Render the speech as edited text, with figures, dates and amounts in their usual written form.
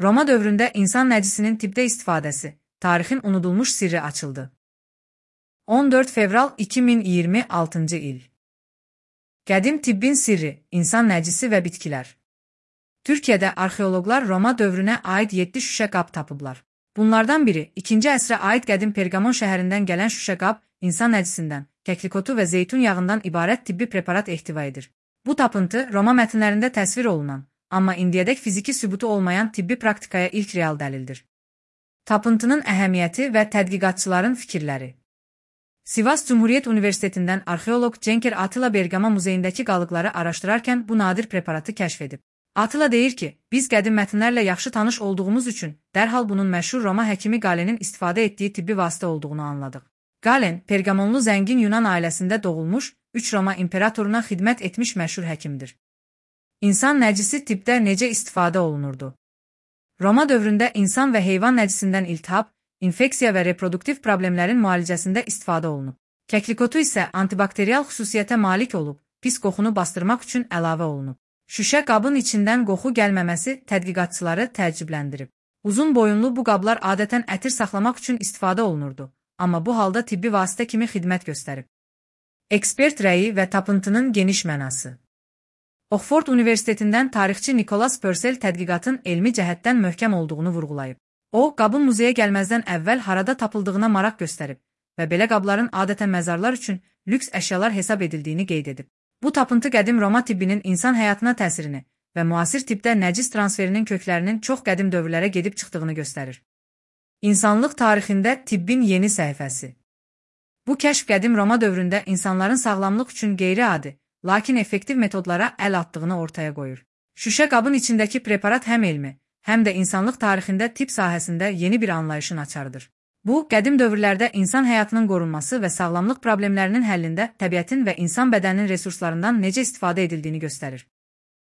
Roma dövründə insan nəcisinin tibbdə istifadəsi, tarixin unudulmuş sirri açıldı. 14 fevral 2026-cı il. Qədim tibbin sirri, insan nəcisi və bitkilər. Türkiyədə arxeoloqlar Roma dövrünə aid 7 şüşə qab tapıblar. Bunlardan biri, 2-ci əsrə aid qədim Pergamon şəhərindən gələn şüşə qab, insan nəcisindən, kəklikotu və zeytun yağından ibarət tibbi preparat ehtiva edir. Bu tapıntı Roma mətnlərində təsvir olunan, amma indiyədək fiziki sübutu olmayan tibbi praktikaya ilk real dəlildir. Tapıntının əhəmiyyəti və tədqiqatçıların fikirləri. Sivas Cumhuriyet Universitetindən arxeoloq Cenker Atilla Bergama muzeyindəki qalıqları araşdırarkən bu nadir preparatı kəşf edib. Atilla deyir ki, biz qədim mətnlərlə yaxşı tanış olduğumuz üçün dərhal bunun məşhur Roma həkimi Galenin istifadə etdiyi tibbi vasitə olduğunu anladıq. Galen, Pergamonlu zəngin Yunan ailəsində doğulmuş, 3 Roma imperatoruna xidmət etmiş məşhur həkimdir. İnsan nəcisi tibbdə necə istifadə olunurdu? Roma dövründə insan və heyvan nəcisindən iltihab, infeksiya və reproduktiv problemlərin müalicəsində istifadə olunub. Kəklikotu isə antibakterial xüsusiyyətə malik olub, pis qoxunu bastırmaq üçün əlavə olunub. Şüşə qabın içindən qoxu gəlməməsi tədqiqatçıları təəccübləndirib. Uzun boyunlu bu qablar adətən ətir saxlamaq üçün istifadə olunurdu, amma bu halda tibbi vasitə kimi xidmət göstərib. Ekspert rəyi və tapıntının geniş mənası. Oxford Universitetindən tarixçi Nicholas Purcell tədqiqatın elmi cəhətdən möhkəm olduğunu vurğulayıb. O, qabın muzeyə gəlməzdən əvvəl harada tapıldığına maraq göstərib və belə qabların adətən məzarlar üçün lüks əşyalar hesab edildiyini qeyd edib. Bu tapıntı qədim Roma tibbinin insan həyatına təsirini və müasir tibbdə nəcis transferinin köklərinin çox qədim dövrlərə gedib çıxdığını göstərir. İnsanlıq tarixində tibbin yeni səhifəsi. Bu kəşf qədim Roma dövründə insanların sağlamlıq üçün qeyri-adi, lakin effektiv metodlara əl atdığını ortaya qoyur. Şüşə qabın içindəki preparat həm elmi, həm də insanlıq tarixində tibb sahəsində yeni bir anlayışın açarıdır. Bu, qədim dövrlərdə insan həyatının qorunması və sağlamlıq problemlərinin həllində təbiətin və insan bədəninin resurslarından necə istifadə edildiyini göstərir.